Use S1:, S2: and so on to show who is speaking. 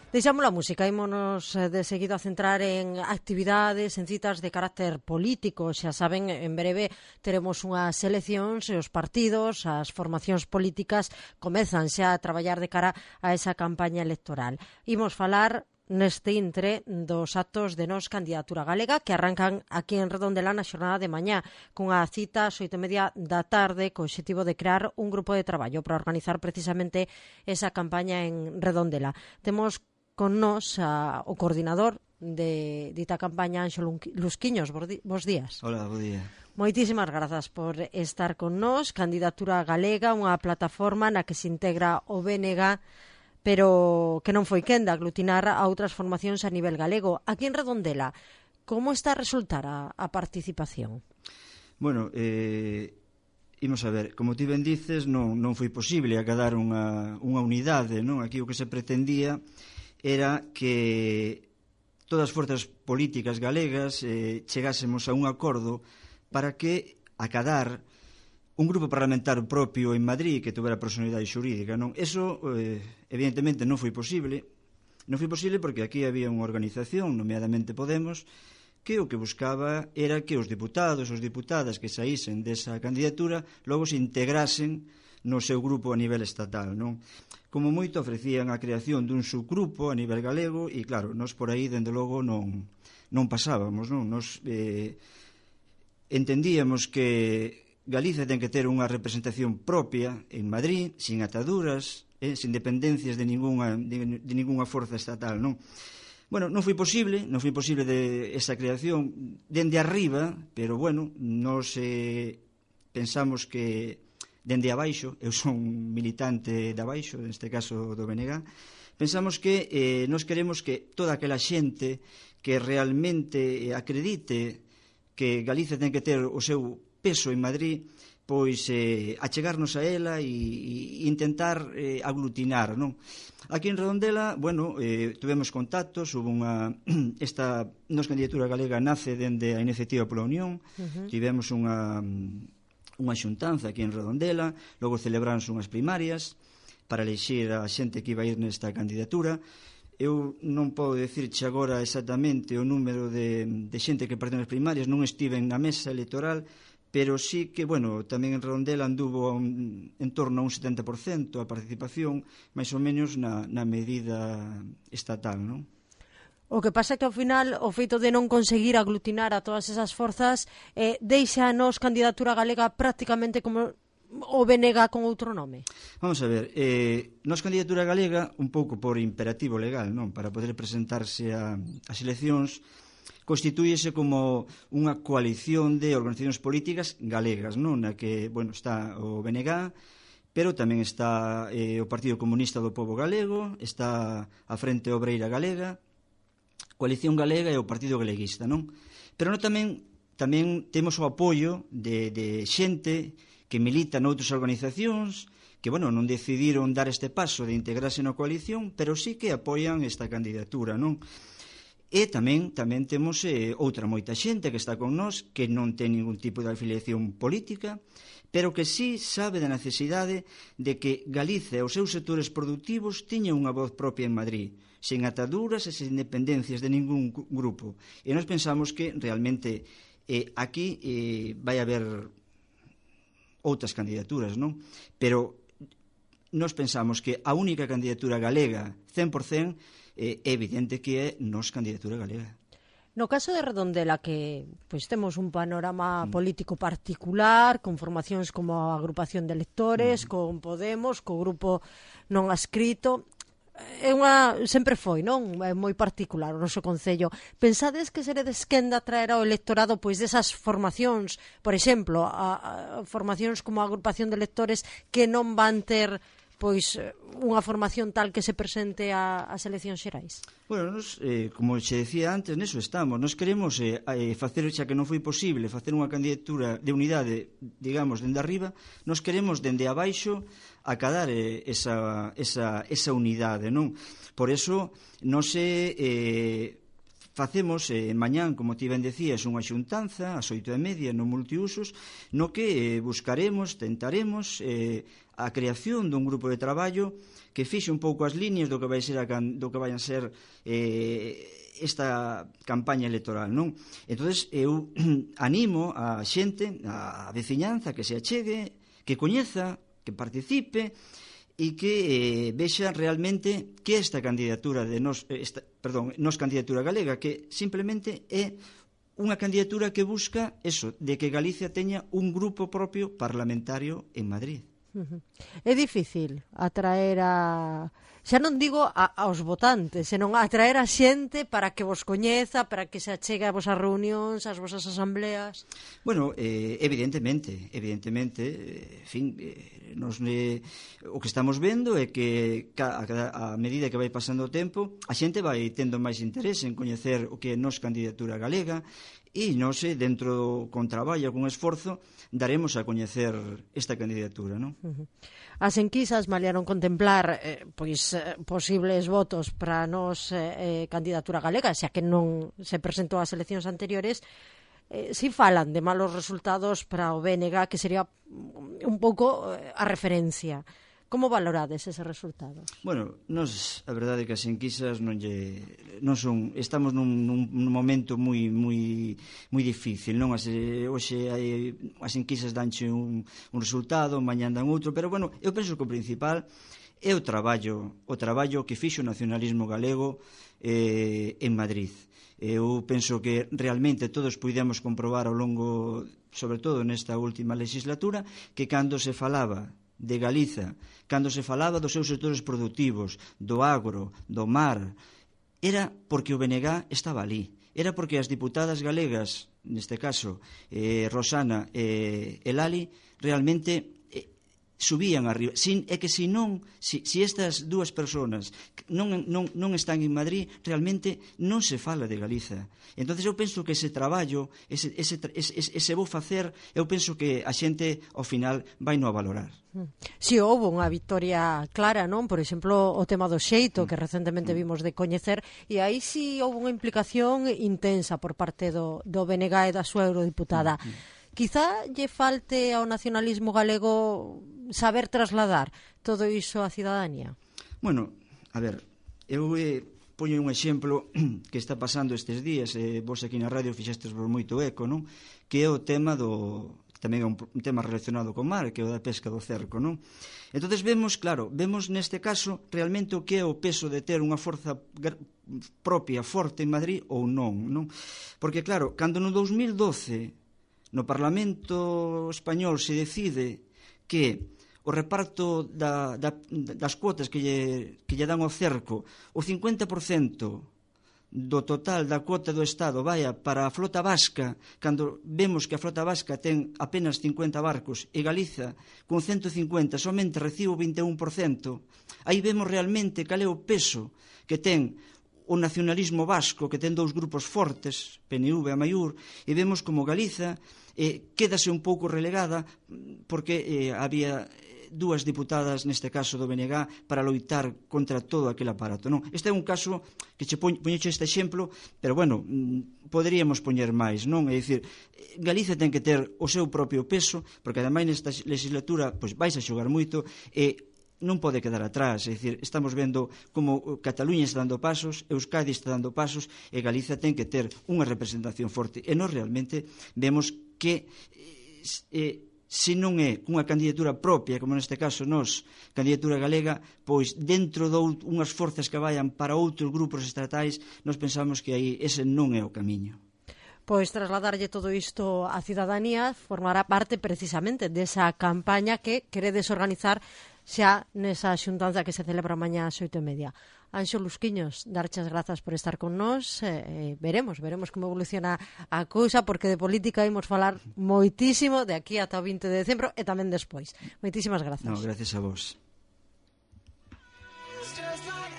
S1: Deixamos a música, ímonos de seguido a centrar en actividades, en citas de carácter político. Xa saben, en breve teremos unhas eleccións e os partidos, as formacións políticas comezan xa a traballar de cara a esa campaña electoral. Imos falar neste intre dos actos de Nós Candidatura Galega que arrancan aquí en Redondela na xornada de mañá cunha cita ás 8:30 da tarde co obxectivo de crear un grupo de traballo para organizar precisamente esa campaña en Redondela. Temos con nós o coordinador de dita campaña, Anxo Lusquiños. Bos días.
S2: Hola, bo día.
S1: Moitísimas grazas por estar con nós. Candidatura Galega, unha plataforma na que se integra o BNG, pero que non foi quen de aglutinar a outras formacións a nivel galego. Aquí en Redondela, como está a resultar a participación?
S2: Bueno, imos a ver, como ti ben dices, non foi posible acadar unha unidade, non? Aquí o que se pretendía era que todas as forzas políticas galegas chegásemos a un acordo para que acadar un grupo parlamentario propio en Madrid que tuvera personalidade xurídica, non? Eso, evidentemente, non foi posible. Non foi posible porque aquí había unha organización, nomeadamente Podemos, que o que buscaba era que os diputados, os diputadas que saísen desa candidatura logo se integrasen no seu grupo a nivel estatal, non? Como moito ofrecían a creación dun subgrupo a nivel galego e, claro, nós por aí, dende logo, non pasábamos, non? Nos entendíamos que Galicia ten que ter unha representación propia en Madrid, sin ataduras, sin dependencias de ningunha forza estatal, non? Bueno, non foi posible de esa creación dende arriba, pero, bueno, nos pensamos que dende abaixo, eu son militante de abaixo, neste caso do BNG, pensamos que nos queremos que toda aquela xente que realmente acredite que Galicia ten que ter o seu peso en Madrid, pois achegarnos a ela e intentar aglutinar, non? Aquí en Redondela, bueno, tuvemos contactos, esta Nós Candidatura Galega nace dende a iniciativa pola Unión, tivemos unha xuntanza aquí en Redondela, logo celebráronse unhas primarias para elixir a xente que iba a ir nesta candidatura. Eu non podo dicirche agora exactamente o número de xente que partiu nas primarias, non estiven na mesa electoral, pero sí que, bueno, tamén en Redondela anduvo en torno a un 70% a participación, máis ou menos na medida estatal, non?
S1: O que pasa é que ao final o feito de non conseguir aglutinar a todas esas forzas deixa a Nós Candidatura Galega prácticamente como o BNG con outro nome.
S2: Vamos a ver, Nós Candidatura Galega, un pouco por imperativo legal, non? Para poder presentarse ás eleccións, constitúyese como unha coalición de organizacións políticas galegas, non? Na que, bueno, está o BNG, pero tamén está o Partido Comunista do Pobo Galego, está a Frente Obreira Galega, Coalición Galega e o Partido Galeguista, non? Pero tamén temos o apoio de xente que milita noutras organizacións que, bueno, non decidiron dar este paso de integrarse na coalición, pero sí que apoian esta candidatura, non? E tamén temos outra moita xente que está con nós que non ten ningún tipo de afiliación política, pero que sí sabe da necesidade de que Galicia e os seus sectores productivos teñan unha voz propia en Madrid, sen ataduras e sen dependencias de ningún grupo. E nós pensamos que realmente aquí vai haber outras candidaturas, non? Pero nós pensamos que a única candidatura galega 100% é evidente que é Nós Candidatura Galega.
S1: No caso de Redondela, que pois temos un panorama político particular, con formacións como a agrupación de electores, con Podemos, co grupo non adscrito, sempre foi, non? É moi particular o noso concello. Pensades que seredes quen de atraer ao electorado pois desas formacións, por exemplo, a formacións como a agrupación de electores que non van ter pois unha formación tal que se presente ás eleccións xerais?
S2: Bueno, nos, como xe decía antes, neso estamos. Nos queremos facer, xa que non foi posible, facer unha candidatura de unidade, digamos, dende arriba, nos queremos dende abaixo acadar esa unidade, non? Por eso, non se facemos mañán, como ti ben decías, unha xuntanza ás 8:30 no multiusos, no que tentaremos a creación dun grupo de traballo que fixe un pouco as líneas do que vai ser do que vai a ser esta campaña electoral, non? Entonces eu animo a xente, a veciñanza, que se achegue, que coñeza, que participe e que vexa realmente que esta candidatura de nos candidatura galega, que simplemente é unha candidatura que busca eso, de que Galicia teña un grupo propio parlamentario en Madrid.
S1: É difícil atraer xa non digo aos votantes, senón atraer a xente para que vos coñeza, para que se achegue a vosas reunións, ás vosas asambleas.
S2: Bueno, evidentemente, en fin, o que estamos vendo é que a medida que vai pasando o tempo, a xente vai tendo máis interés en coñecer o que é nos candidatura galega, e nós, dentro con traballo, con esforzo, daremos a coñecer esta candidatura, non?
S1: As enquisas maliaron contemplar posibles votos para nos candidatura galega, xa que non se presentou ás eleccións anteriores. Si falan de malos resultados para o BNG, que sería un pouco a referencia. Como valorades ese resultado?
S2: Bueno, a verdade é que as enquisas estamos nun momento moi difícil, non? Hoxe as enquisas danche un resultado, mañá dan outro, pero bueno, eu penso que o principal é o traballo que fixo o nacionalismo galego en Madrid. Eu penso que realmente todos puidemos comprobar ao longo, sobre todo nesta última legislatura, que cando se falaba de Galiza, cando se falaba dos seus sectores productivos, do agro, do mar, era porque o BNG estaba ali, era porque as diputadas galegas, neste caso Rosana e Lali, realmente subían arriba. É que se estas dúas persoas non están en Madrid, realmente non se fala de Galiza. Entonces eu penso que ese traballo, ese vou facer, eu penso que a xente ao final vai no a valorar.
S1: Si houve unha victoria clara, non? Por exemplo, o tema do xeito, que recentemente vimos de coñecer, e aí si houve unha implicación intensa por parte do BNG e da súa eurodiputada. Quizá lle falte ao nacionalismo galego saber trasladar todo iso á cidadanía?
S2: Bueno, a ver, eu poño un exemplo que está pasando estes días, vos aquí na radio fixestes por moito eco, non? Que é o tema tamén é un tema relacionado co mar, que é o da pesca do cerco, non? Entonces vemos neste caso realmente o que é o peso de ter unha forza propia forte en Madrid ou non? Porque claro, cando no 2012 no Parlamento español se decide que o reparto das cuotas que lle dan ao cerco, o 50% do total da cuota do Estado vaya para a flota vasca, cando vemos que a flota vasca ten apenas 50 barcos e Galiza con 150 somente recibe o 21%, aí vemos realmente cal é o peso que ten o nacionalismo vasco, que ten dous grupos fortes, PNV e Amaiur, e vemos como Galiza quédase un pouco relegada porque había dúas diputadas, neste caso do BNG, para loitar contra todo aquel aparato, non? Este é un caso que poñecho este exemplo, pero bueno, poderíamos poñer máis, non? É dicir, Galiza ten que ter o seu propio peso, porque ademais nesta legislatura vais a xogar moito e non pode quedar atrás, é dicir, estamos vendo como Cataluña está dando pasos, Euskadi está dando pasos e Galiza ten que ter unha representación forte e nós realmente vemos que se non é unha candidatura propia, como neste caso nós, candidatura galega, pois dentro de unhas forzas que vayan para outros grupos estatais, nós pensamos que aí ese non é o camiño.
S1: Pois trasladarlle todo isto á cidadanía formará parte precisamente desa campaña que queredes organizar xa nesa xuntanza que se celebra mañá ás 8:30. Anxo Lusquiños, darche as grazas por estar con nós, veremos como evoluciona a cousa, porque de política imos falar moitísimo de aquí ata o 20 de decembro e tamén despois. Moitísimas grazas.
S2: No, gracias a vos.